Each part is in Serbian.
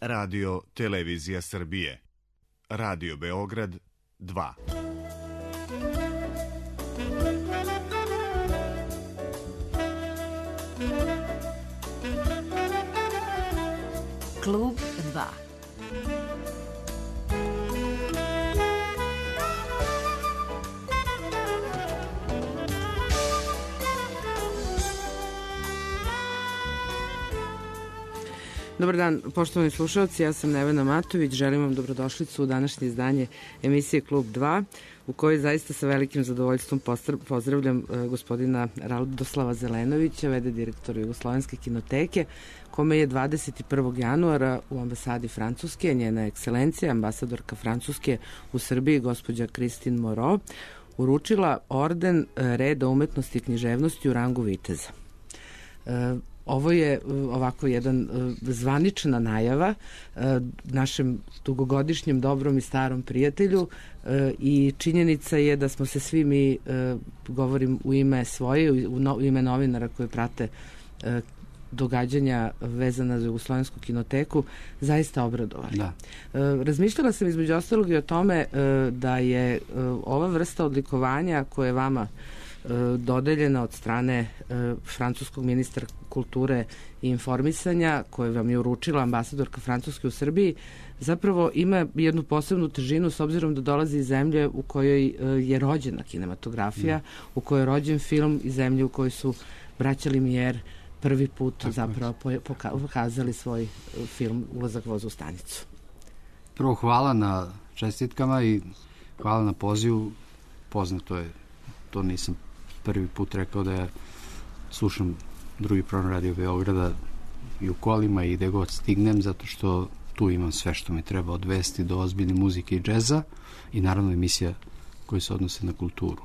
Radio Televizija Srbije. Radio Beograd 2. Klub 2. Dobar dan, poštovani slušalci, ja sam Nevena Matović, želim vam dobrodošlicu u današnje izdanje emisije Klub 2, u kojoj zaista sa velikim zadovoljstvom pozdravljam gospodina Radoslava Zelenovića, v.d. direktora Jugoslovenske kinoteke, kome je 21. januara u ambasadi Francuske, njena ekscelencija, ambasadorka Francuske u Srbiji, gospođa Christine Moreau, uručila orden Reda umetnosti i književnosti u rangu viteza. Ovo je ovako jedan zvanična najava našem dugogodišnjem dobrom i starom prijatelju i činjenica je da smo se svi mi, govorim u ime svoje, u ime novinara koji prate događanja vezana za Jugoslovensku kinoteku, zaista obradovali. Da. Razmišljala sam između ostalog i o tome da je ova vrsta odlikovanja koja je vama dodeljena od strane francuskog ministra kulture i informisanja, koje vam je uručila ambasadorka Francuske u Srbiji, zapravo ima jednu posebnu težinu s obzirom da dolazi iz zemlje u kojoj je rođena kinematografija, u kojoj je rođen film, iz zemlje u kojoj su braća Lumière prvi put zapravo pokazali svoj film Ulazak voza u stanicu. Prvo, hvala na čestitkama i hvala na pozivu. Poznato je, to nisam prvi put rekao da ja slušam drugi program Radio Beograda i u kolima i gde god stignem, zato što tu imam sve što mi treba od vesti do ozbiljne muzike i džeza i naravno emisija koje se odnose na kulturu.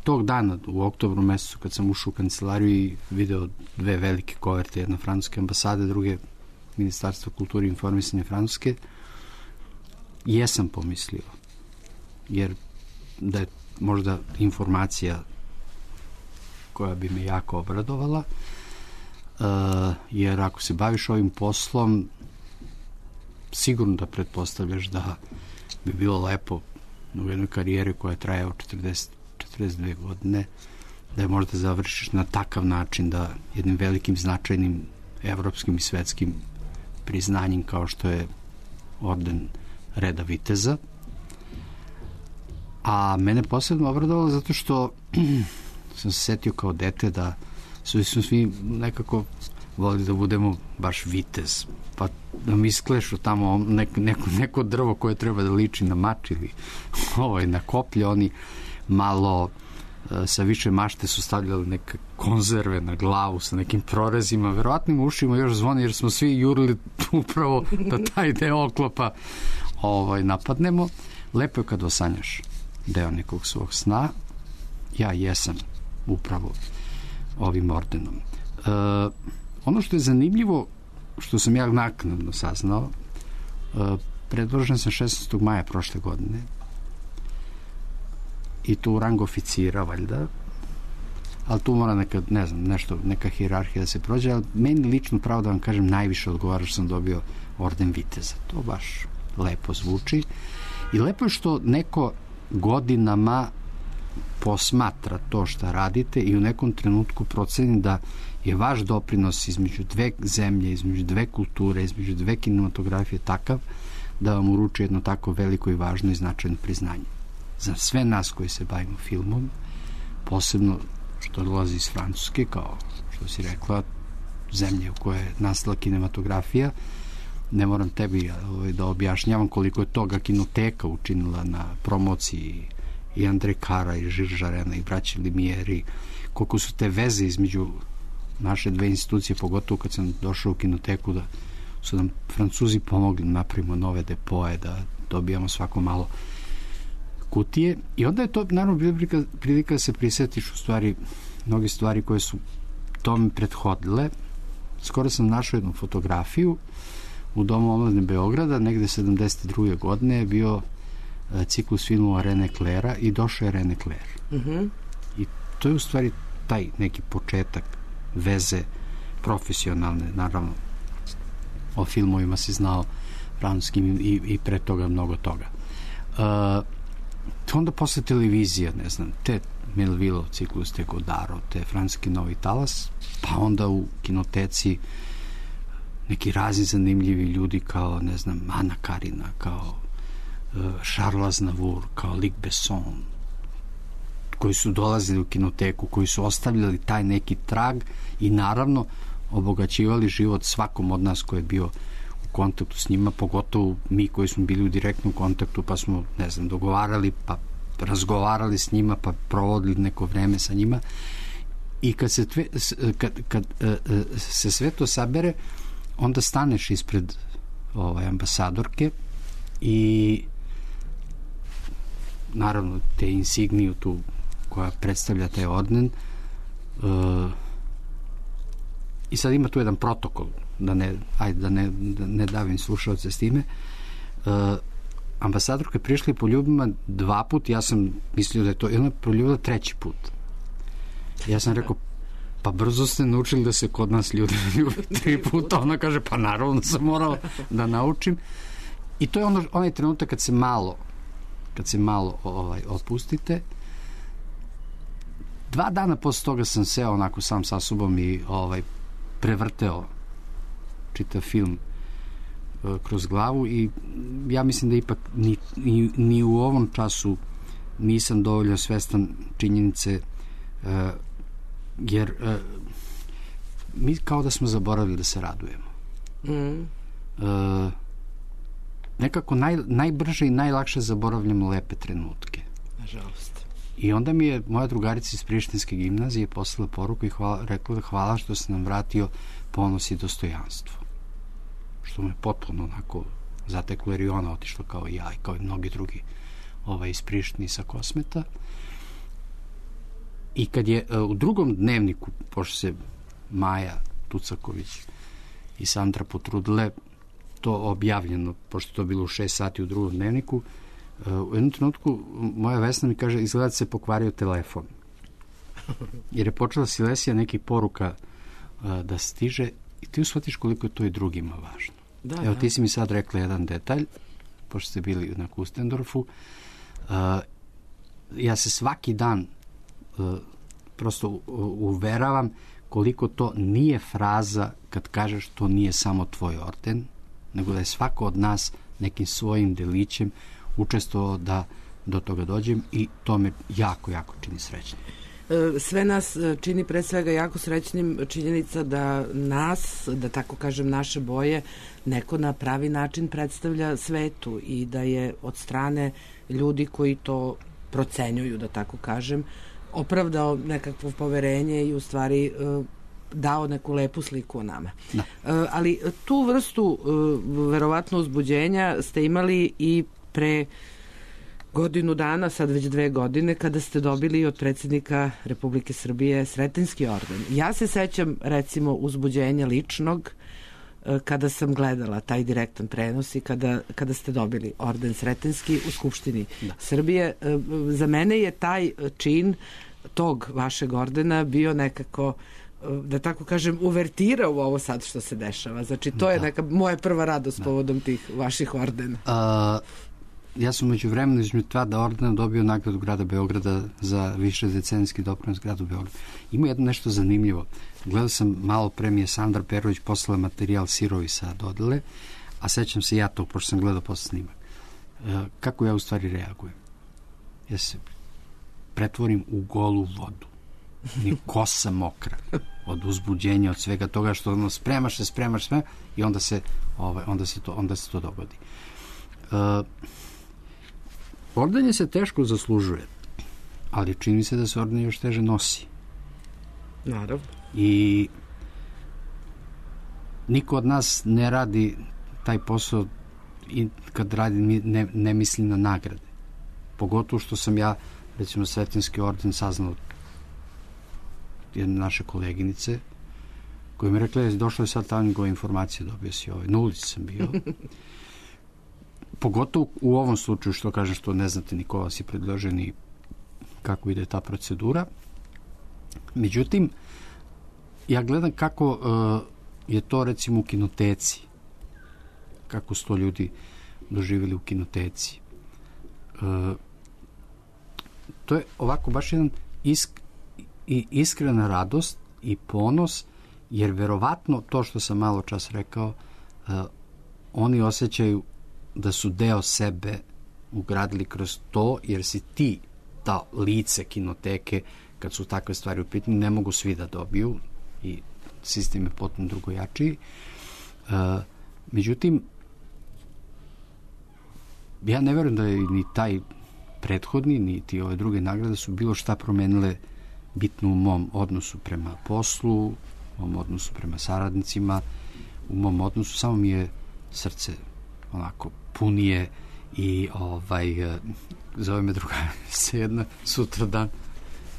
Tog dana u oktobru mesecu kad sam ušao u kancelariju i video dve velike koverte, jedna francuske ambasade, druge Ministarstva kulture i informisanja Francuske, jesam pomislio, jer da je možda informacija koja bi me jako obradovala, jer ako se baviš ovim poslom, sigurno da pretpostavljaš da bi bilo lepo u jednoj karijeri koja traje od 42 godine, da je možda završiš na takav način da jednim velikim značajnim evropskim i svetskim priznanjem kao što je orden Reda viteza. A mene posebno obradovalo zato što sam se setio kao dete da smo svi nekako volili da budemo baš vitez, pa da mi isklešu tamo neko drvo koje treba da liči na mač ili na koplje, oni malo sa više mašte su stavljali neke konzerve na glavu sa nekim prorezima, verovatnim ušima još zvoni jer smo svi jurili upravo da taj deo oklopa napadnemo. Lepo je kad osanjaš deo nekog svog sna. Ja jesam upravo ovim ordenom. Ono što je zanimljivo, što sam ja naknadno saznao, predložen sam 16. maja prošle godine i tu u rangu oficira valjda, ali tu mora neka hijerarhija da se prođe, ali meni lično, pravo da vam kažem, najviše odgovara što sam dobio orden viteza. To baš lepo zvuči i lepo je što neko godinama posmatra to što radite i u nekom trenutku proceni da je vaš doprinos između dve zemlje, između dve kulture, između dve kinematografije takav da vam uruči jedno tako veliko i važno i značajno priznanje. Za sve nas koji se bavimo filmom, posebno što dolazi iz Francuske, kao što si rekla, zemlje u kojoj je nastala kinematografija, ne moram tebi da objašnjavam koliko je toga kinoteka učinila na promociji i Andre Kara i Žil Žarena i braći Lumière, koliko su te veze između naše dve institucije, pogotovo kad sam došao u kinoteku, da su nam Francuzi pomogli da napravimo nove depoje, da dobijamo svako malo kutije. I onda je to naravno bila prilika da se prisjetiš u stvari mnogi stvari koje su tome prethodile. Skoro sam našao jednu fotografiju u Domu omladine Beograda, negde 72. godine je bio ciklus filmova René Claira i došao je René Clair. I to je u stvari taj neki početak veze profesionalne, naravno. O filmovima si znao francuskim i pre toga mnogo toga. Onda posle televizije, ne znam, te Melvillov ciklus, te Godaro, te francuski Novi talas, pa onda u kinoteci neki razni zanimljivi ljudi kao, ne znam, Ana Karina, kao Charles Aznavour, kao Luc Besson, koji su dolazili u kinoteku, koji su ostavljali taj neki trag i naravno obogaćivali život svakom od nas koji je bio u kontaktu s njima, pogotovo mi koji smo bili u direktnom kontaktu, pa smo, ne znam, dogovarali, pa razgovarali s njima, pa provodili neko vreme sa njima. I kad se sve to sabere, onda staneš ispred ambasadorke i naravno te insigniju tu koja predstavlja taj orden i sad ima tu jedan protokol da ne davim slušalce s time. Ambasadorka je prišla i poljubila 2 put, ja sam mislio da je to, i ona je poljubila 3. put. Ja sam rekao, pa brzo ste naučili da se kod nas ljudi ljube 3 puta. Ona kaže, pa naravno sam morala da naučim. I to je onaj trenutak kad se malo opustite. 2 dana posle toga sam seo onako sam sa sobom i prevrteo čitav film kroz glavu i ja mislim da ipak ni u ovom času nisam dovoljno svestan činjenice jer mi kao da smo zaboravili da se radujemo. Nekako najbrže i najlakše zaboravljamo lepe trenutke. Nažalost. I onda mi je moja drugarica iz Prištinske gimnazije poslala poruku i rekla da hvala što se nam vratio ponos i dostojanstvo. Što me potpuno onako zateklo, jer i ona otišla kao i ja i kao i mnogi drugi iz Prištine sa Kosmeta. I kad je u drugom dnevniku, pošto se Maja Tucaković i Sandra potrudile, to objavljeno, pošto to bilo u 6 sati u drugom dnevniku, u jednom trenutku moja Vesna mi kaže, izgleda se pokvario telefon. Jer je počela Silesija nekih poruka da stiže i ti shvatiš koliko je to i drugima važno. Evo, ti si mi sad rekla jedan detalj, pošto ste bili na Kustendorfu. Ja se svaki dan prosto uveravam koliko to nije fraza kad kažeš to nije samo tvoj orden, nego da je svako od nas nekim svojim delićem učestvovao da do toga dođem i to me jako, jako čini srećnim. Sve nas čini pre svega jako srećnim činjenica da nas, da tako kažem, naše boje neko na pravi način predstavlja svetu i da je od strane ljudi koji to procenjuju, da tako kažem, opravdao nekakvo poverenje i u stvari dao neku lepu sliku o nama. Da. Ali tu vrstu verovatno uzbuđenja ste imali i pre godinu dana, sad već 2 godine, kada ste dobili od predsjednika Republike Srbije Sretenjski orden. Ja se sećam, recimo, uzbuđenja ličnog kada sam gledala taj direktan prenos i kada ste dobili orden Sretenjski u Skupštini Srbije. Za mene je taj čin tog vašeg ordena bio nekako, da tako kažem, uvertira u ovo sad što se dešava. Znači, to je neka moja prva radost povodom tih vaših ordena. Ja sam među vremenu između 2 ordena dobio nagradu grada Beograda za više decenijski doprinos gradu Beogradu. Ima jedno nešto zanimljivo. Gledao sam malo pre, mi je Sandra Perović poslala materijal Sirovi sa dodele, a sećam se ja to, pošto sam gledao posle snimak. Kako ja u stvari reagujem? Ja se pretvorim u golu vodu. Ni kosa mokra od uzbuđenja, od svega toga što spremaš i onda se to dogodi. Ordenje se teško zaslužuje, ali čini se da se ordenje još teže nosi. Naravno. I niko od nas ne radi taj posao i kad radi ne misli na nagrade. Pogotovo što sam ja, recimo, Sretenjski orden saznao jedne naše koleginice koja mi rekla, došla je sad ta njegova informacija, dobio si na ulici sam bio. Pogotovo u ovom slučaju, što kažem, što ne znate ni ko vas je predložen i kako ide ta procedura. Međutim, ja gledam kako je to recimo u kinoteci, kako su to ljudi doživjeli u kinoteci. To je ovako baš jedan iskrena radost i ponos, jer verovatno to što sam malo čas rekao, oni osjećaju da su deo sebe ugradili kroz to, jer si ti ta lice kinoteke, kad su takve stvari u pitanju, ne mogu svi da dobiju i sistem je potpuno drugojačiji. Međutim, ja ne verujem da je ni taj prethodni, niti ove druge nagrade su bilo šta promenile bitno u mom odnosu prema poslu, u mom odnosu prema saradnicima, u mom odnosu samo mi je srce onako punije i zove me druga se jedna sutra dan,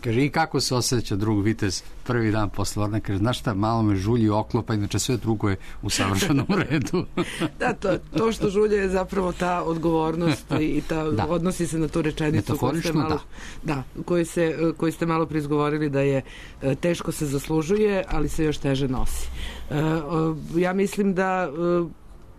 kaže, i kako se osjeća drug vitez prvi dan posle Orna, kaže, znaš šta, malo me žulji oklopa, inače sve drugo je u savršenom redu. Da, to što žulje je zapravo ta odgovornost i odnosi se na tu rečenicu koju ste malo preizgovorili, da je teško se zaslužuje, ali se još teže nosi. Ja mislim da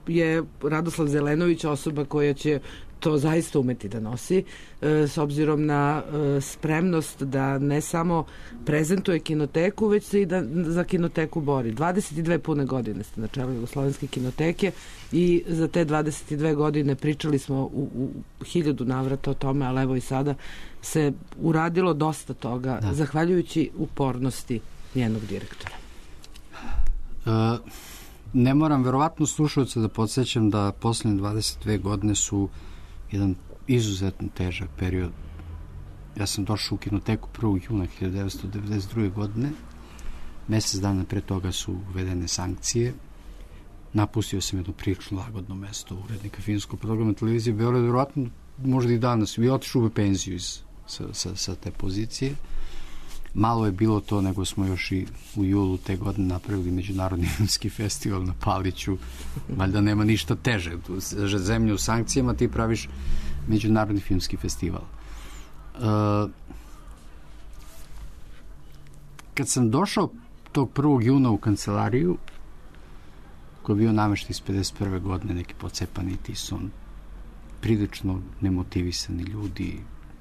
je Radoslav Zelenović osoba koja će to zaista umeti da nosi, s obzirom na spremnost da ne samo prezentuje kinoteku, već se i da za kinoteku bori. 22 pune godine ste na čelu Jugoslovenske kinoteke i za te 22 godine pričali smo u 1000 navrata o tome, ali evo i sada se uradilo dosta toga, zahvaljujući upornosti njenog direktora. Ne moram verovatno slušalce da podsjećam da poslednje 22 godine su jedan izuzetno težak period. Ja sam došao u kinoteku 1. juna 1992. godine. Mesec dana pre toga su uvedene sankcije. Napustio sam jedno prilično lagodno mesto urednika filmskog programa televizije Beograd, verovatno možda i danas. I otišao u penziju sa te pozicije. Malo je bilo to, nego smo još i u julu te godine napravili Međunarodni filmski festival na Paliću. Valjda nema ništa teže. Zemlju u sankcijama, ti praviš Međunarodni filmski festival. Kad sam došao tog 1. juna u kancelariju, koji je bio namešten iz 51. godine, neki pocepani tison, prilično nemotivisani ljudi,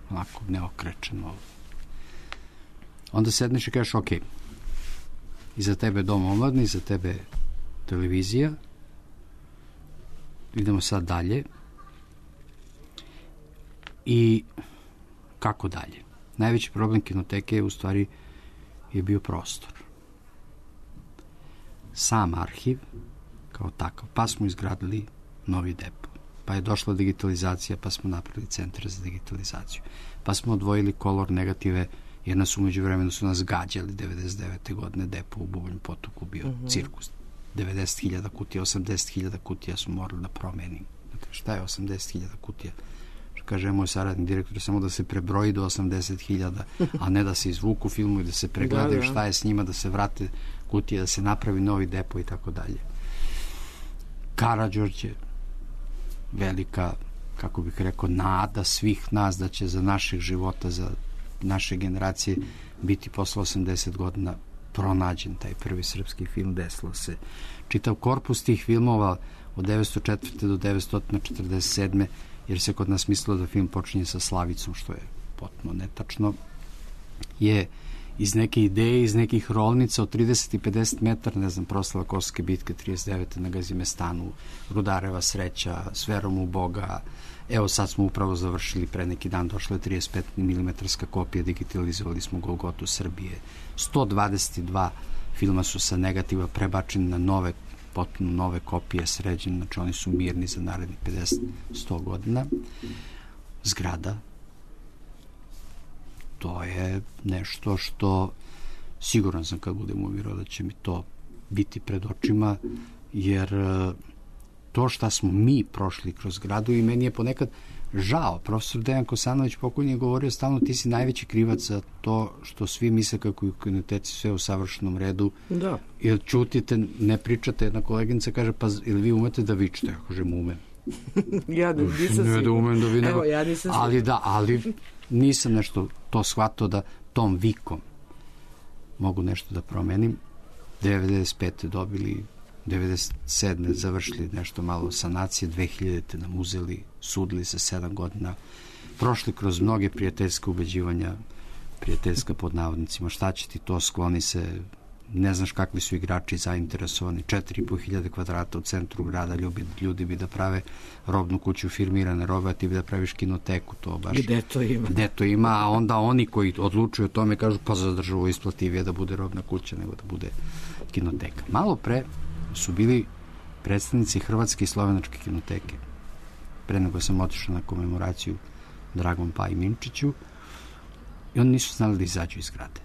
onako neokrečeno. Onda sedneš i kažeš, ok, iza tebe dom omladni, iza tebe televizija, idemo sad dalje. I kako dalje? Najveći problem kinoteke je u stvari bio prostor. Sam arhiv kao takav, pa smo izgradili novi depo, pa je došla digitalizacija, pa smo napravili centar za digitalizaciju, pa smo odvojili kolor negative, jer nas umeđu vremenu su nas gađali 99. godine, depo u Bubonjem potoku bio cirkus. 90.000 kutija, 80.000 kutija su morali da promenim. Šta je 80.000 kutija? Kaže moj saradni direktor, samo da se prebroji do 80.000, a ne da se izvuku filmu i da se pregledaju šta je s njima, da se vrate kutije, da se napravi novi depo i tako dalje. Karađorđe, velika, kako bih rekao, nada svih nas da će za naših života, za naše generacije biti posle 80 godina pronađen taj prvi srpski film, desilo se. Čitav korpus tih filmova od 1904. do 1947. jer se kod nas mislilo da film počinje sa Slavicom, što je potpuno netačno, je iz neke ideje, iz nekih rolnica od 30 i 50 metara, ne znam, proslava Kosovske bitke 39. na Gazimestanu, Rudareva sreća, s verom u Boga. Evo sad smo upravo završili, pre neki dan došla je 35 mm kopija, digitalizovali smo Golgotu Srbije. 122 filma su sa negativa prebačeni na nove, potpuno nove kopije, sređene, znači oni su mirni za narednih 50-100 godina. Zgrada, to je nešto što siguran sam kad budem umirao da će mi to biti pred očima, jer to šta smo mi prošli kroz gradu, i meni je ponekad žao. Profesor Dejan Kosanović pokojni je govorio stalno, ti si najveći krivac za to što svi misle kako je u kinoteci sve u savršenom redu. Da. Jer čutite, ne pričate. Jedna koleginica kaže, pa ili vi umete da vičete? Ja kažem, umem. Ja nisam ne da umem da vi nego... Evo, ja nisam ali nisam nešto to shvatao da tom vikom mogu nešto da promenim. 95. dobili, 97. završili nešto malo sanacije, 2000. nam uzeli, sudili se 7 godina, prošli kroz mnoge prijateljske ubeđivanja, prijateljska pod navodnicima, šta će ti to, skloni se, ne znaš kakvi su igrači zainteresovani, 4.500 kvadrata u centru grada, ljudi bi da prave robnu kuću firmirane robe, a ti bi da praviš kinoteku, to baš... Gde to ima, a onda oni koji odlučuju o tome kažu, pa za državu isplativije da bude robna kuća nego da bude kinoteka. Malo pre su bili predstavnici Hrvatske i Slovenačke kinoteke. Pre nego sam otišao na komemoraciju Dragom Pa i Minčiću, i oni nisu znali da izađu iz zgrade.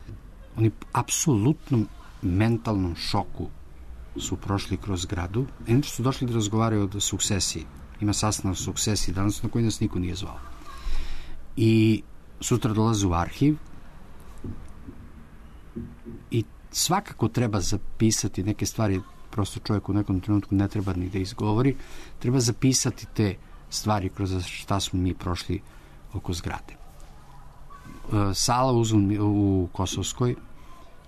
Oni apsolutnom mentalnom šoku su prošli kroz zgradu. Inače su došli da razgovaraju o sukcesiji. Ima sastanak o sukcesiji danas na koji nas niko nije zvao. I sutra dolaze u arhiv i svakako treba zapisati neke stvari, prosto čovjek u nekom trenutku ne treba ni da izgovori, treba zapisati te stvari kroz šta smo mi prošli oko zgrade. Sala u Kosovskoj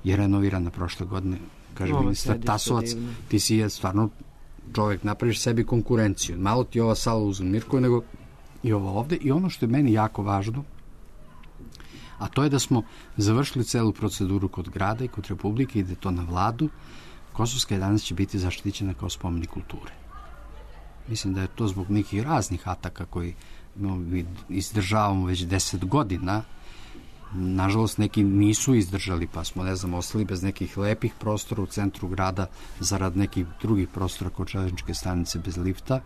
je renovirana prošle godine, kaže ministar Tasovac, ti si stvarno čovjek, napraviš sebi konkurenciju, malo ti ova sala u Mirkovi nego i ovo ovde, i ono što je meni jako važno, a to je da smo završili celu proceduru kod grada i kod Republike, ide to na vladu. Kosovska 11 će biti zaštićena kao spomenik kulture. Mislim da je to zbog nekih raznih ataka koji mi izdržavamo već 10 godina. Nažalost, neki nisu izdržali, pa smo, ne znam, ostali bez nekih lepih prostora u centru grada zarad nekih drugih prostora kod železničke stanice bez lifta.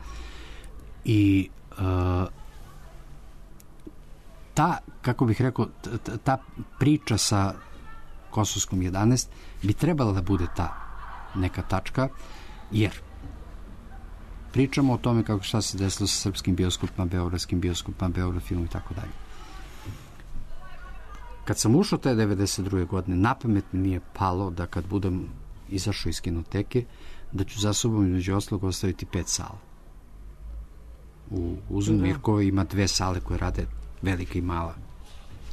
I ta, kako bih rekao, ta priča sa Kosovskom 11 bi trebala da bude ta neka tačka, jer pričamo o tome kako šta se desilo sa srpskim bioskopima, beogradskim bioskopima, Beograd filmom i tako dalje. Kad sam ušao te 92. godine, napamet mi nije palo da kad budem izašao iz kinoteke, da ću za sobom između ostalog ostaviti 5 sala. U Uzun Mirkovi ima 2 sale koje rade, velika i mala.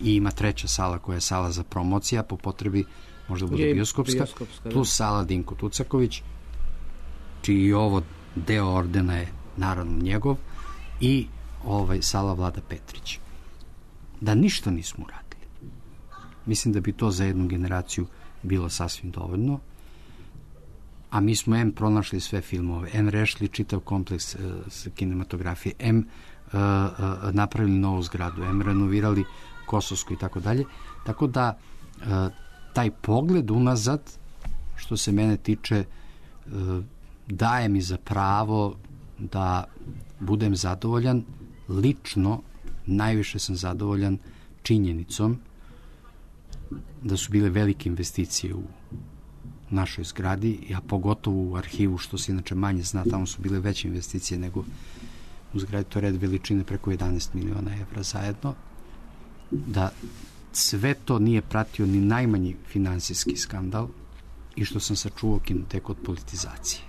I ima 3. sala koja je sala za promocija, po potrebi možda bude bioskopska, plus sala Dinko Tucaković, čiji ovo deo ordena je naravno njegov, i sala Vlada Petrić. Da ništa nismo uradili. Mislim da bi to za jednu generaciju bilo sasvim dovoljno, a mi smo M pronašli sve filmove, M rešili čitav kompleks kinematografije, M napravili novu zgradu, M renovirali Kosovsku i tako dalje. Tako da taj pogled unazad, što se mene tiče, daje mi za pravo da budem zadovoljan. Lično najviše sam zadovoljan činjenicom da su bile velike investicije u našoj zgradi, a pogotovo u arhivu, što se inače manje zna, tamo su bile veće investicije nego u zgradi, to je red veličine preko 11 miliona evra zajedno, da sve to nije pratio ni najmanji finansijski skandal i što sam sačuvao kinoteku od politizacije.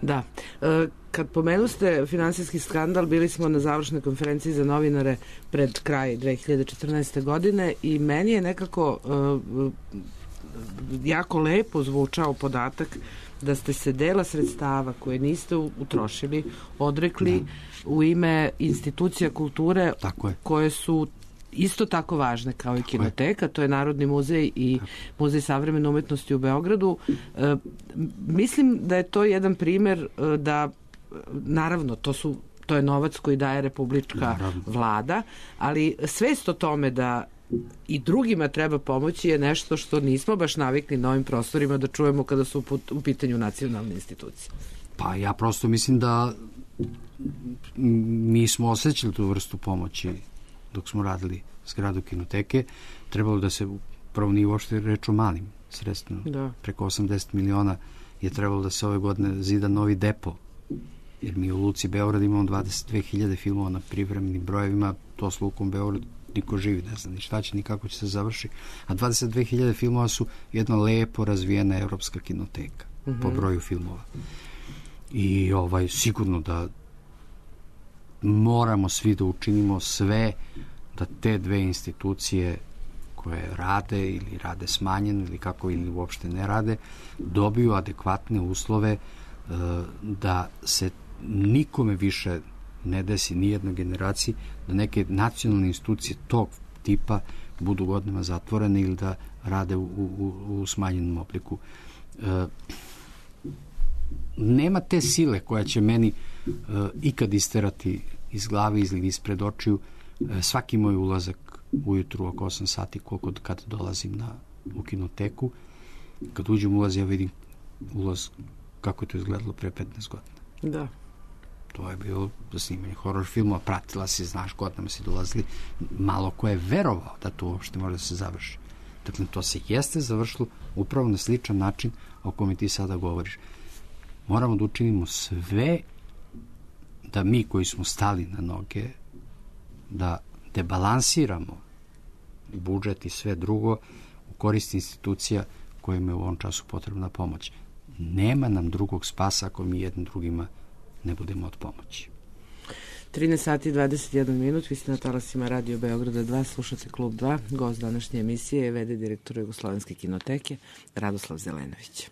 Da. Kad pomenuste finansijski skandal, bili smo na završnoj konferenciji za novinare pred kraj 2014. godine i meni je nekako jako lepo zvučao podatak da ste se dela sredstava koje niste utrošili odrekli u ime institucija kulture koje su isto tako važne kao i kinoteka, to je Narodni muzej i Muzej savremene umetnosti u Beogradu. Mislim da je to jedan primer da, naravno, to je novac koji daje republička vlada, ali svest o tome da i drugima treba pomoći je nešto što nismo baš navikli na ovim prostorima da čujemo kada su u pitanju nacionalne institucije. Pa ja prosto mislim da mi smo osjećali tu vrstu pomoći dok smo radili zgradu kinoteke. Trebalo da se prvo nije uopšte reč o malim sredstvima. Preko 80 miliona je trebalo da se ove godine zida novi depo, jer mi u Luci Beograd imamo 22.000 filmova na privremenim brojevima, to s Lukom Beograd niko živi, ne zna ni šta će, ni kako će se završi, a 22.000 filmova su jedna lepo razvijena evropska kinoteka po broju filmova. I sigurno da moramo svi da učinimo sve da te dve institucije koje rade ili rade smanjeno ili kako ili uopšte ne rade, dobiju adekvatne uslove da se nikome više ne desi, nijednoj generaciji, da neke nacionalne institucije tog tipa budu godinama zatvorene ili da rade u smanjenom obliku. Nema te sile koja će meni ikad isterati iz glave ili ispred očiju svaki moj ulazak ujutru oko 8 sati, koliko kad dolazim u kinoteku. Kad uđem ulaz, ja vidim ulaz kako je to izgledalo pre 15 godina. Da. To je bilo za snimanje horror filmova, pratila si, znaš, godinama si dolazili, malo ko je verovao da to uopšte može da se završi. Dakle, to se jeste završilo upravo na sličan način o kome ti sada govoriš. Moramo da učinimo sve da mi koji smo stali na noge, da debalansiramo budžet i sve drugo u korist institucija kojima je u ovom času potrebna pomoć. Nema nam drugog spasa ako mi jednim drugima ne budemo od pomoći. 13 sati i 21 minut, vi ste na talasima Radio Beograda 2, slušate Klub 2, gost današnje emisije je v.d. direktor Jugoslovenske kinoteke Radoslav Zelenović.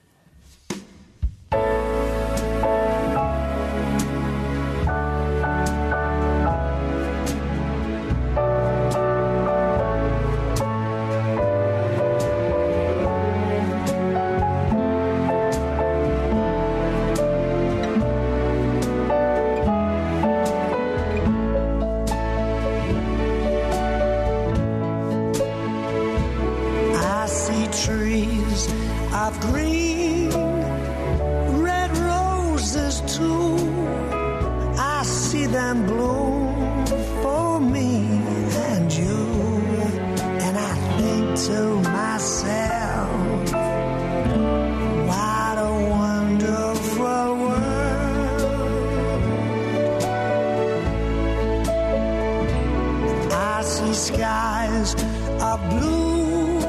Skies are blue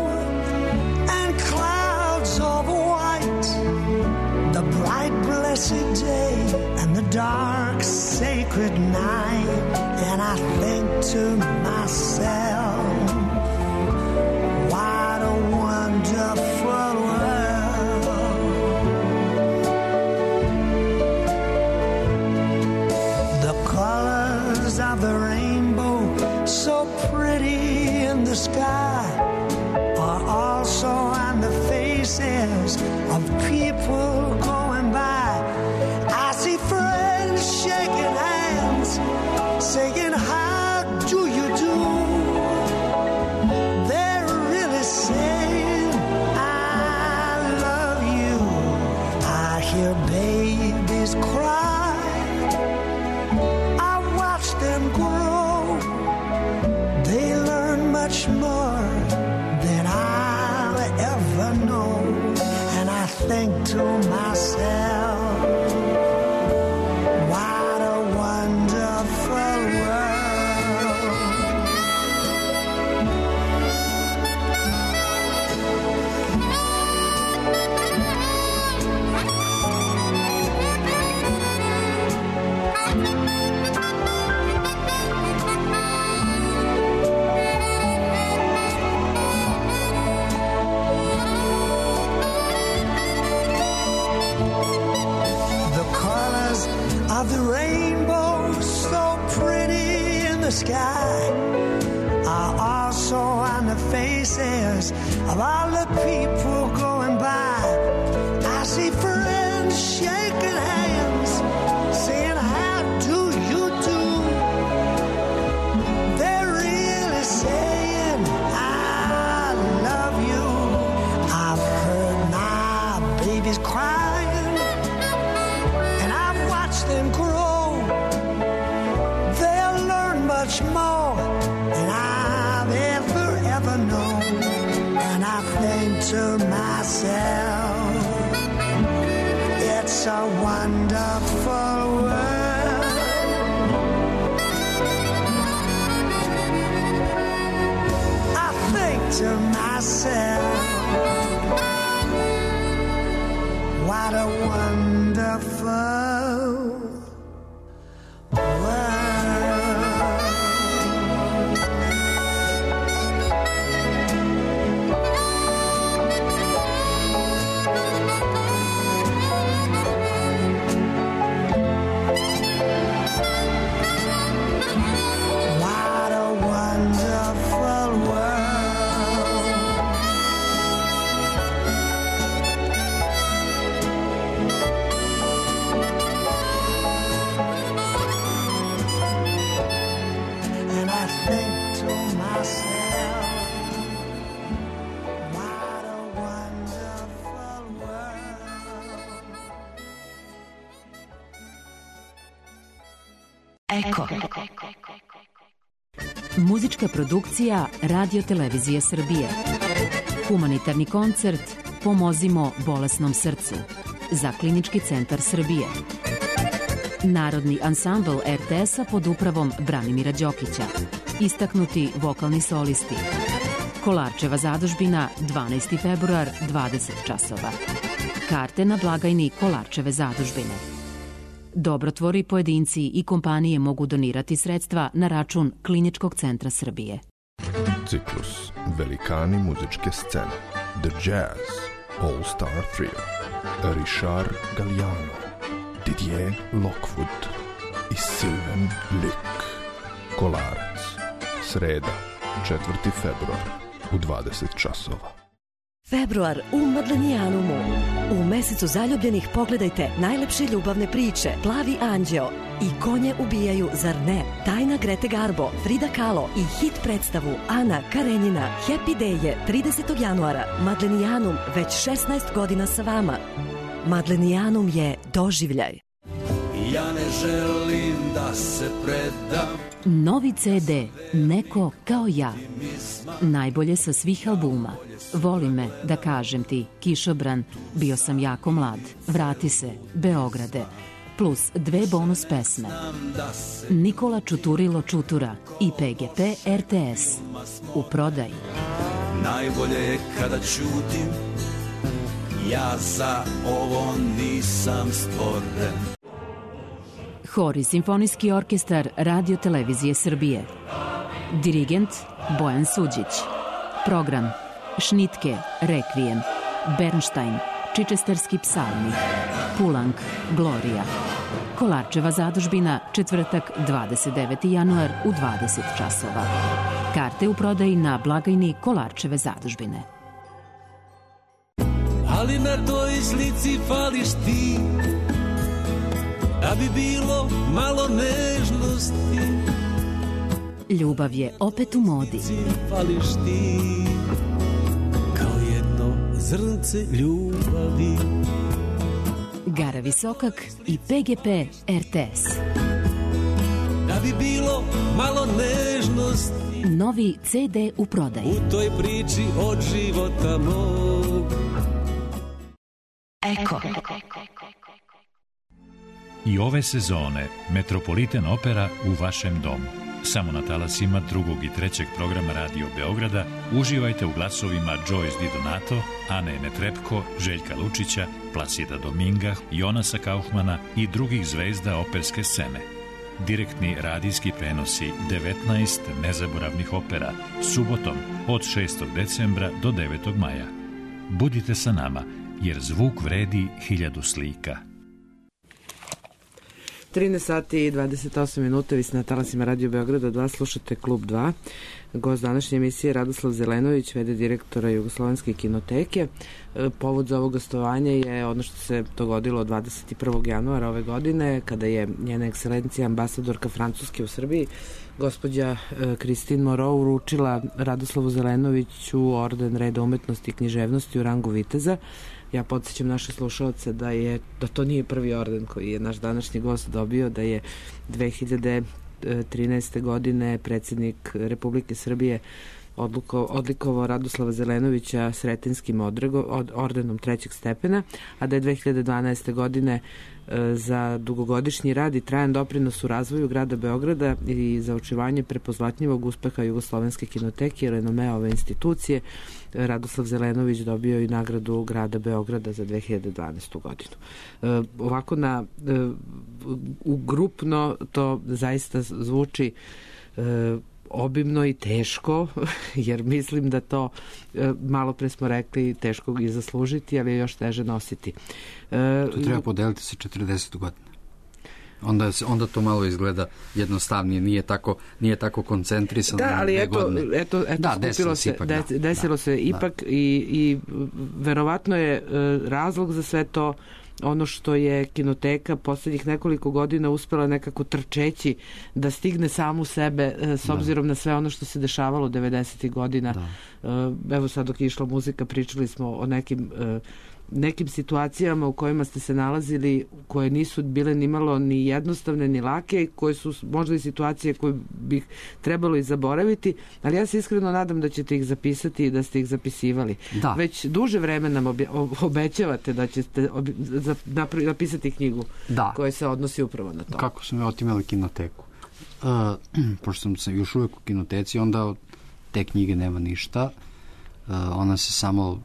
and clouds of white, the bright blessed day and the dark sacred night, and I think to myself, what a wonderful world. The colors of the rainbow, so pretty in the sky, are also on the faces of people going by. I see friends shaking hands, saying, how do you do? They're really saying, I love you. I hear babies cry, I watch them grow. They learn much more than I'll ever know. And I think to myself, what a wonderful world. Of the rainbow, so pretty in the sky, are also on the faces of all the people going by. I see friends shaking hands, saying, how do you do? They're really saying, I love you. I've heard my babies crying, and I've watched them grow. They'll learn much more than I've ever known. And I think to myself, it's a wonderful world. I think to myself, what a wonderful world. Eko. Muzička produkcija Radio Televizije Srbije. Humanitarni koncert Pomozimo bolesnom srcu za Klinički centar Srbije. Narodni ansambl RTS-a pod upravom Branimira Đokića. Istaknuti vokalni solisti. Kolarčeva zadužbina, 12. februar, 20 časova. Karte na blagajni Kolarčeve zadužbine. Dobrotvori, pojedinci i kompanije mogu donirati sredstva na račun Kliničkog centra Srbije. Ciklus Velikani muzičke scene. The Jazz All Star Trio. Richard Galliano, Didier Lockwood i Sylvain Luc. Kolarac. Sreda, 4. februar u 20 časova. Februar u Madlenijanumu. U mesecu zaljubljenih pogledajte najlepše ljubavne priče Plavi anđeo i Konje ubijaju, zar ne? Tajna Grete Garbo, Frida Kahlo i hit predstavu Ana Karenjina. Happy Day je 30. januara. Madlenijanum već 16 godina sa vama. Madlenijanum je doživljaj. Ja ne želim da se predam. Novi CD Neko kao ja. Najbolje sa svih albuma. Voli me, da kažem ti, Kišobran, Bio sam jako mlad, Vrati se, Beograde, plus 2 bonus pesme. Nikola Čuturilo Čutura i PGP RTS. U prodaji. Najbolje je kada ćutim, ja za ovo nisam stvoren. Hor i simfonijski orkestar Radio Televizije Srbije. Dirigent Bojan Suđić. Program Šnitke, Rekvijem, Bernštajn, Čičesterski psalmi, Pulang, Glorija. Kolarčeva zadužbina, četvrtak, 29. januar u 20 časova. Karte u prodaji na blagajni Kolarčeve zadužbine. Ali na toj slici fališ ti, da bi bilo malo nežnosti. Ljubav je opet u modi. Fališ ti, kao jedno zrnce ljubavi. Gara Visokak i PGP RTS. Da bi bilo malo nežnosti. Novi CD u prodaji. U toj priči od života mog. Eko. I ove sezone Metropolitan Opera u vašem domu. Samo na talasima 2. i 3. programa Radio Beograda uživajte u glasovima Joyce Di Donato, Ane Netrebko, Željka Lučića, Placida Dominga, Jonasa Kaufmana i drugih zvezda operske scene. Direktni radijski prenosi 19 nezaboravnih opera subotom od 6. decembra do 9. maja. Budite sa nama, jer zvuk vredi 1000 slika. 13 sati i 28 minuta, vi ste na talasima Radio Beograda 2, slušate Klub 2. Gost današnje emisije Radoslav Zelenović, v.d. direktora Jugoslovenske kinoteke. Povod za ovo gostovanje je ono što se dogodilo 21. januara ove godine, kada je njena ekscelencija ambasadorka Francuske u Srbiji, gospođa Christine Moreau, uručila Radoslavu Zelenoviću orden Reda umetnosti i književnosti u rangu viteza. Ja podsjećam naše slušalce da to nije prvi orden koji je naš današnji gost dobio, da je 2013. godine predsjednik Republike Srbije odlikovao Radoslava Zelenovića Sretinskim ordenom 3. stepena, a da je 2012. godine za dugogodišnji rad i trajan doprinos u razvoju grada Beograda i za očuvanje prepoznatljivog uspeha Jugoslovenske kinoteke i renomea ove institucije, Radoslav Zelenović dobio i nagradu grada Beograda za 2012. godinu. Ovako grupno to zaista zvuči obimno i teško, jer mislim da to, malo pre smo rekli, teško i zaslužiti, ali je još teže nositi. To treba podeliti sa 40 godina. Onda to malo izgleda jednostavnije, nije tako koncentrisano. Da, ali eto desilo se ipak i verovatno je razlog za sve to ono što je kinoteka poslednjih nekoliko godina uspela nekako trčeći da stigne samu sebe s obzirom na sve ono što se dešavalo 90. godina. Evo sad dok je išla muzika pričali smo o nekim nekim situacijama u kojima ste se nalazili, koje nisu bile nimalo ni jednostavne ni lake, koje su možda i situacije koje bih trebalo i zaboraviti, ali ja se iskreno nadam da ćete ih zapisati i da ste ih zapisivali. Da. Već duže vreme nam obećavate da ćete napisati knjigu koja se odnosi upravo na to. Kako su me otimali Kinoteku? Pošto sam se još uvek u Kinoteci, onda od te knjige nema ništa. Ona se samo,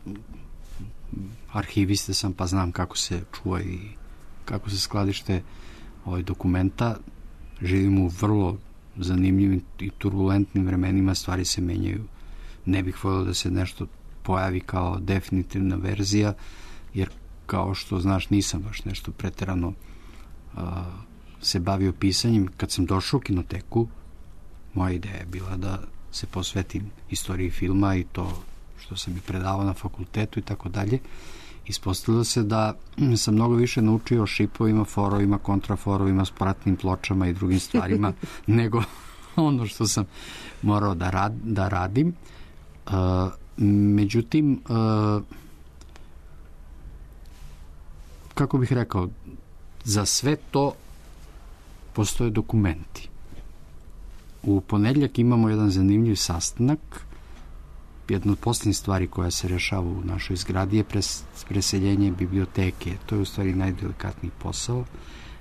arhiviste sam, pa znam kako se čuva i kako se skladište dokumenta. Živimo u vrlo zanimljivim i turbulentnim vremenima, stvari se menjaju. Ne bih voljela da se nešto pojavi kao definitivna verzija, jer kao što znaš, nisam baš nešto preterano se bavio pisanjem. Kad sam došao u Kinoteku, moja ideja je bila da se posvetim istoriji filma i to što sam i predavao na fakultetu i tako dalje. Ispostavilo se da sam mnogo više naučio o šipovima, forovima, kontraforovima, spratnim pločama i drugim stvarima nego ono što sam morao da radim. Međutim, kako bih rekao, za sve to postoje dokumenti. U ponedeljak imamo jedan zanimljiv sastanak. Jedna od posljednjih stvari koja se rešava u našoj zgradi je preseljenje biblioteke. To je u stvari najdelikatniji posao.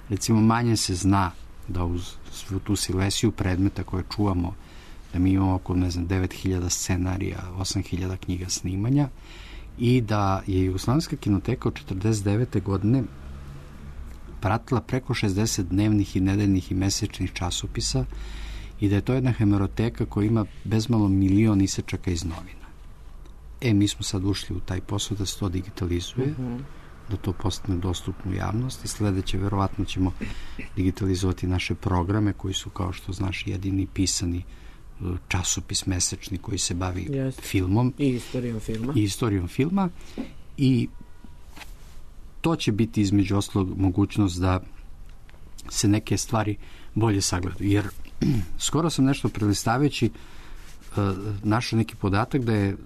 Recimo, manje se zna da uz svu tu silesiju predmeta koje čuvamo, da mi imamo oko, 9.000 scenarija, 8.000 knjiga snimanja i da je Jugoslovenska kinoteka od 1949. godine pratila preko 60 dnevnih i nedeljnih i mesečnih časopisa i da je to jedna hemeroteka koja ima bezmalo 1.000.000 isečaka iz novina. Mi smo sad ušli u taj posao da se to digitalizuje, da to postane dostupno u javnosti. Sledeće, verovatno ćemo digitalizovati naše programe koji su, kao što znaš, jedini pisani časopis mesečni koji se bavi filmom. I istorijom filma. I to će biti između ostalog mogućnost da se neke stvari bolje sagledaju. Jer skoro sam nešto prelistavljajući našao neki podatak da je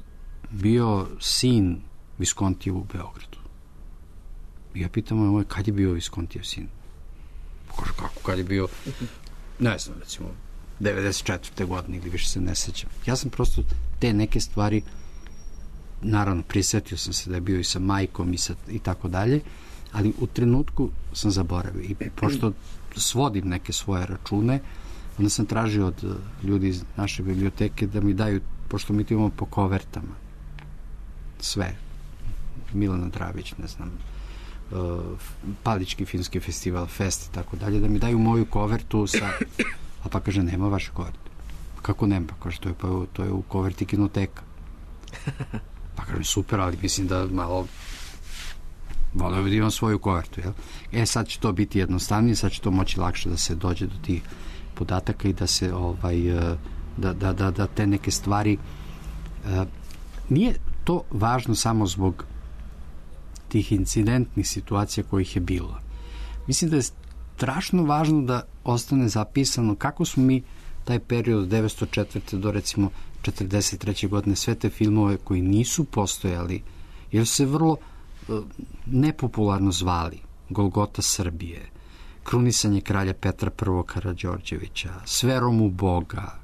bio sin Viskontijev u Beogradu. I ja pitam moj, kad je bio Viskontijev sin? Kaže, kako, kad je bio? Ne znam, recimo 94. godine ili više se ne sećam. Ja sam prosto te neke stvari, naravno, prisjetio sam se da je bio i sa majkom i tako dalje, ali u trenutku sam zaboravio. I pošto svodim neke svoje račune, onda sam tražio od ljudi iz naše biblioteke da mi daju, pošto mi to imamo po kovertama, sve. Milana Dravić, ne znam, Palički filmski festival, Fest i tako dalje, da mi daju moju kovertu sa... A pa kaže, nema vaše koverte. Kako nema? Pa kaže, to je u koverti Kinoteka. Pa kaže, super, ali mislim da malo voleo bi da imam svoju kovertu, jel? Sad će to biti jednostavnije, sad će to moći lakše da se dođe do tih podataka i da se da te neke stvari nije to važno samo zbog tih incidentnih situacija kojih je bilo. Mislim da je strašno važno da ostane zapisano kako smo mi taj period od 1904. do recimo 1943. godine sve te filmove koji nisu postojali, jer su se vrlo nepopularno zvali Golgota Srbije, Krunisanje kralja Petra I. Karađorđevića, S verom u Boga.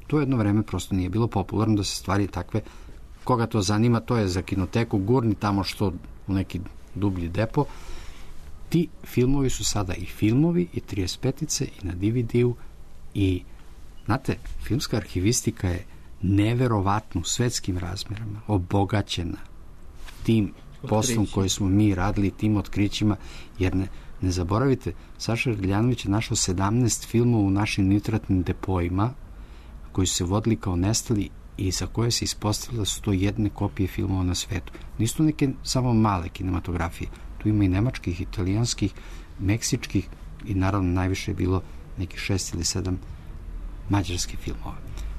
To jedno vreme prosto nije bilo popularno da se stvari takve, koga to zanima, to je za Kinoteku, gurni tamo što u neki dublji depo. Ti filmovi su sada i filmovi i 35-ice i na DVD-u i, znate, filmska arhivistika je neverovatno u svetskim razmerama obogaćena tim poslom koji smo mi radili, tim otkrićima, jer ne zaboravite, Saša Radljanović je našao 17 filmova u našim nitratnim depojima koji su se vodili kao nestali i za koje se ispostavilo da su to jedne kopije filmova na svetu. Nisu to neke samo male kinematografije. Tu ima i nemačkih, italijanskih, meksičkih i naravno najviše je bilo nekih 6 ili 7 mađarskih filmova.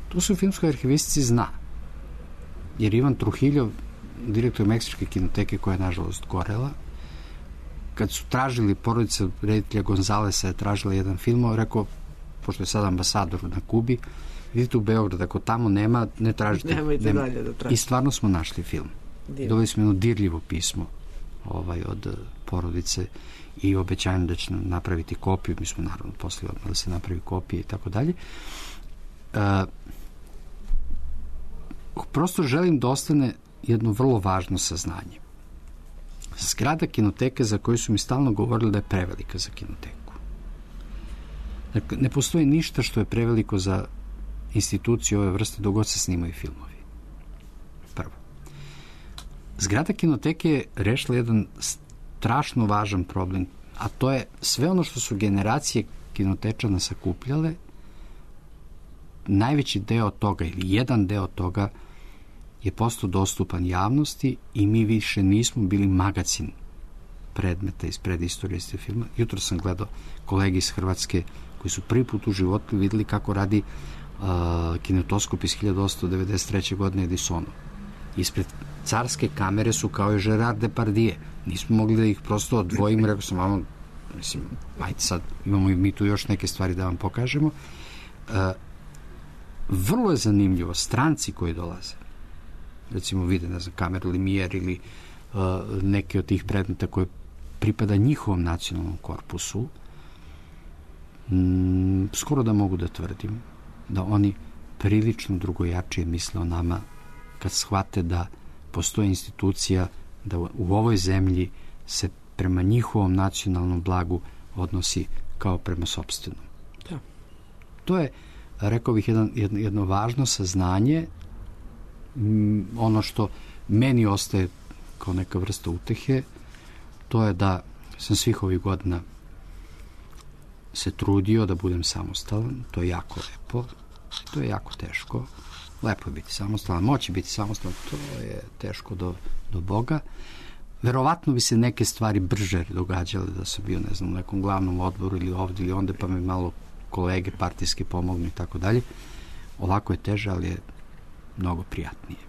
Tu su u filmskoj arhivistici zna. Jer Ivan Truhiljov, direktor Meksičke kinoteke koja je nažalost gorela, kad su tražili, porodica reditelja Gonzalesa je tražila jedan film, rekao, pošto je sad ambasador na Kubi, vidite u Beograd, ako tamo nema, ne tražite. Nemojte dalje da tražite. I stvarno smo našli film. Dobili smo jedno dirljivo pismo od porodice i obećanjem da će napraviti kopiju. Mi smo naravno poslali odmah da se napravi kopija i tako dalje. Prosto želim da ostane jedno vrlo važno saznanje. Zgrada kinoteke za koju su mi stalno govorili da je prevelika za kinoteku. Dakle, ne postoji ništa što je preveliko za instituciju ove vrste dok god se snimaju filmovi. Prvo. Zgrada kinoteke je rešila jedan strašno važan problem, a to je sve ono što su generacije kinotečana sakupljale, najveći deo toga ili jedan deo toga je postao dostupan javnosti i mi više nismo bili magacin predmeta iz predistorije filma. Jutro sam gledao kolege iz Hrvatske koji su prvi put u životu videli kako radi kinetoskop iz 1893. godine Edisonu. Ispred carske kamere su kao i Gerard Depardieu. Nismo mogli da ih prosto odvojimo. Rekao sam, vamo, mislim, ajde sad, imamo i mi tu još neke stvari da vam pokažemo. Vrlo je zanimljivo, stranci koji dolaze, recimo vide, ne znam, kameru Lumière ili neke od tih predmeta koje pripada njihovom nacionalnom korpusu, skoro da mogu da tvrdim da oni prilično drugojačije misle o nama kad shvate da postoji institucija da u ovoj zemlji se prema njihovom nacionalnom blagu odnosi kao prema sopstvenom. Da. To je, rekao bih, jedno važno saznanje. Ono što meni ostaje kao neka vrsta utehe, to je da sam svih ovih godina se trudio da budem samostalan. To je jako lepo, to je jako teško. Lepo je biti samostalan, moći biti samostalan, to je teško do Boga. Verovatno bi se neke stvari brže događale da sam bio, ne znam, u nekom glavnom odboru ili ovdje ili onda, pa mi malo kolege partijske pomognu i tako dalje. Ovako je teže, ali je mnogo prijatnije.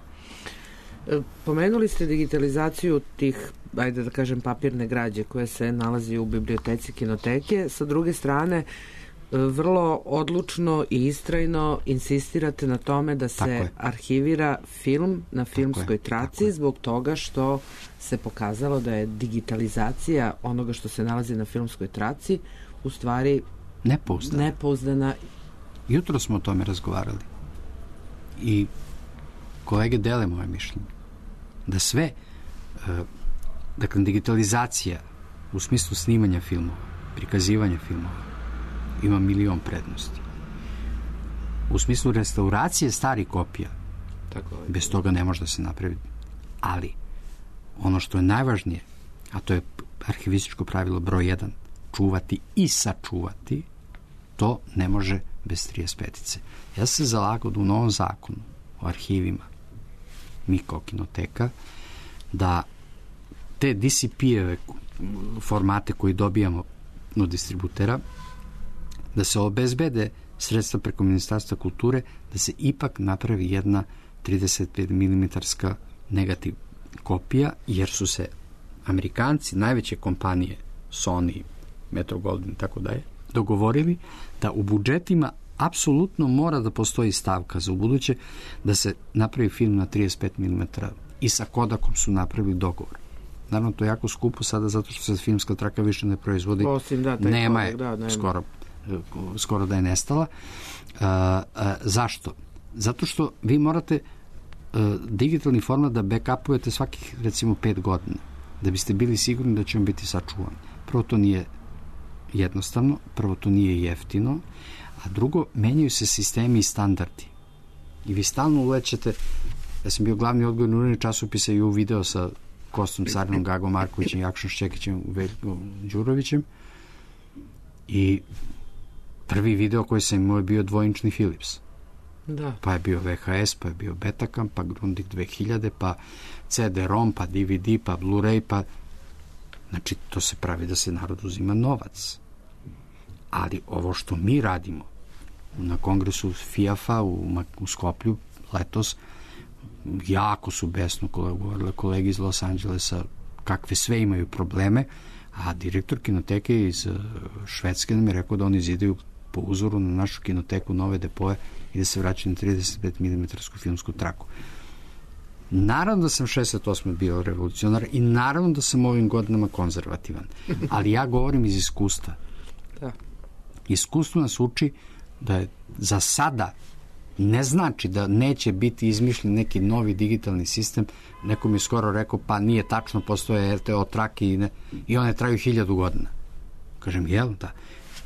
Pomenuli ste digitalizaciju tih, ajde da kažem, papirne građe koje se nalazi u biblioteci kinoteke. Sa druge strane, vrlo odlučno i istrajno insistirate na tome da se arhivira film na filmskoj traci zbog toga što se pokazalo da je digitalizacija onoga što se nalazi na filmskoj traci u stvari nepouzdana. Jutro smo o tome razgovarali i kolege dele moje mišljenje da sve dakle digitalizacija u smislu snimanja filmova, prikazivanja filmova ima milion prednosti. U smislu restauracije starih kopija bez toga ne može da se napravi. Ali ono što je najvažnije, a to je arhivističko pravilo broj 1, čuvati i sačuvati, to ne može bez 35-ice. Ja sam se zalagao da u novom zakonu o arhivima, mi kao kinoteka, da te DCP-eve formate koji dobijamo od distributera, da se obezbede sredstva preko Ministarstva kulture, da se ipak napravi jedna 35 mm negativ kopija, jer su se Amerikanci, najveće kompanije, Sony, Metro-Goldwyn i tako dalje, dogovorili da u budžetima apsolutno mora da postoji stavka za ubuduće da se napravi film na 35 mm i sa Kodakom su napravili dogovor. Naravno, to je jako skupo sada zato što se filmska traka više ne proizvodi. Nema je, skoro da je nestala. Zašto? Zato što vi morate digitalni format da backupujete svakih, recimo, 5 godina da biste bili sigurni da će on biti sačuvan. Prvo, to nije jednostavno, prvo, to nije jeftino, a drugo, menjaju se sistemi i standardi. I vi stalno ulećete, ja sam bio glavni odgovorni urednik časopisa i u video sa Kostom Carinom, Gagom Markovićem, Jakšom Šćekićem, Veljkom Đurovićem, i prvi video koji sam imao je bio dvojinčni Philips. Da. Pa je bio VHS, pa je bio Betacam, pa Grundig 2000, pa CD-ROM, pa DVD, pa Blu-ray, pa... Znači, to se pravi da se narod uzima novac. Ali ovo što mi radimo na kongresu FIAF-a u Skoplju letos, jako su besno govorile kolege iz Los Angelesa kakve sve imaju probleme, a direktor kinoteke iz Švedske nam je rekao da oni zidaju po uzoru na našu kinoteku nove depoje i da se vraćaju na 35 mm filmsku traku. Naravno da sam 68. bio revolucionar i naravno da sam ovim godinama konzervativan. Ali ja govorim iz iskustva. Da. Iskustvo nas uči da je za sada ne znači da neće biti izmišljen neki novi digitalni sistem. Neko mi je skoro rekao, pa nije tačno, postoje RTO trake i one traju 1000 godina. Kažem, jel? Da.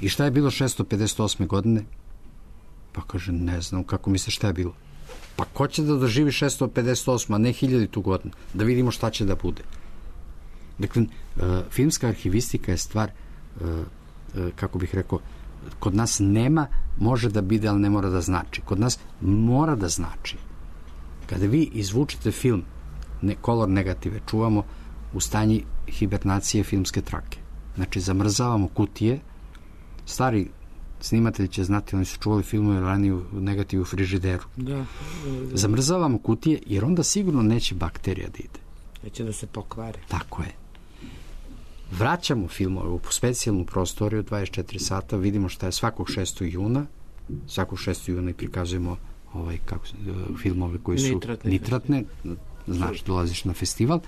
I šta je bilo 658. godine? Pa kaže, ne znam, kako misliš šta je bilo? Pa ko će da doživi 658, a ne 1000 godinu? Da vidimo šta će da bude. Dakle, filmska arhivistika je stvar, kako bih rekao, kod nas nema, može da bude, ali ne mora da znači. Kod nas mora da znači. Kada vi izvučete film, kolor negative, čuvamo u stanji hibernacije filmske trake. Znači, zamrzavamo kutije. Stari snimatelji će znati, oni su čuvali filmove ranije u negativu u frižideru. Da. Zamrzavamo kutije, jer onda sigurno neće bakterija da ide. Neće da se pokvari. Tako je. Vraćamo filmove u specijalnu prostoriju 24 sata, vidimo šta je svakog 6. juna. Svakog 6. juna i prikazujemo filmove koji su nitratne. Znaš, dolaziš na festival.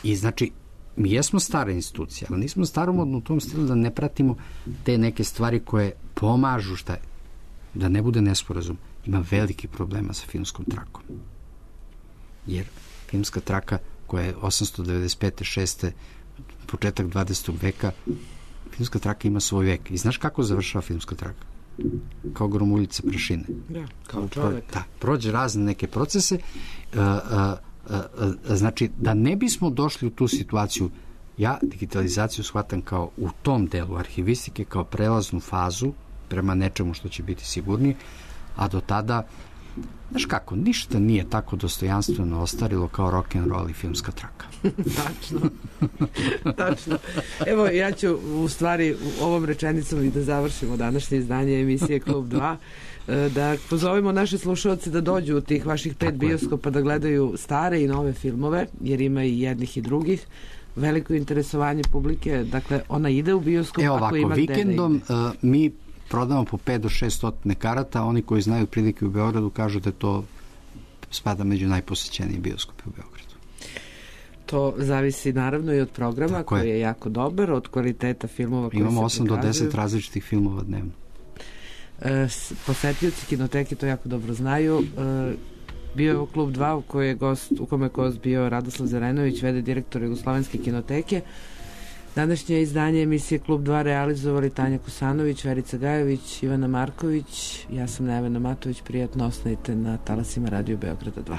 I znači, mi jesmo stara institucija, ali nismo staromodno u tom stilu da ne pratimo te neke stvari koje pomažu da ne bude nesporazum. Ima veliki problema sa filmskom trakom. Jer filmska traka koja je 895. 6. početak 20. veka, filmska traka ima svoj vek. I znaš kako završava filmska traka? Kao gromuljice prašine. Da, kao čovek. Da, prođe razne neke procese. Znači, da ne bismo došli u tu situaciju, ja digitalizaciju shvatam kao u tom delu arhivistike, kao prelaznu fazu prema nečemu što će biti sigurnije, a do tada, znaš kako, ništa nije tako dostojanstveno ostarilo kao rock'n'roll i filmska traka. Tačno. Evo, ja ću u stvari ovom rečenicom i da završimo današnje izdanje emisije Klub 2, da pozovemo naše slušalce da dođu u tih vaših 5 bioskopa da gledaju stare i nove filmove, jer ima i jednih i drugih. Veliko interesovanje publike, dakle, ona ide u bioskop ako ima gde da ide. Vikendom mi prodamo po 5 do 600 karata, oni koji znaju prilike u Beogradu kažu da to spada među najposećeniji bioskopi u Beogradu. To zavisi naravno i od programa koji je jako dobar, od kvaliteta filmova koji imamo se 8 do 10 različitih filmova dnevno. Posetioci kinoteke to jako dobro znaju. Bio je Klub 2 u kome je gost bio Radoslav Zelenović, v.d. direktor Jugoslovenske kinoteke. Današnje izdanje emisije Klub 2 realizovali Tanja Kosanović, Verica Gajović, Ivana Marković, ja sam Nevena Matović. Prijatno, ostanite na talasima Radio Beograda 2.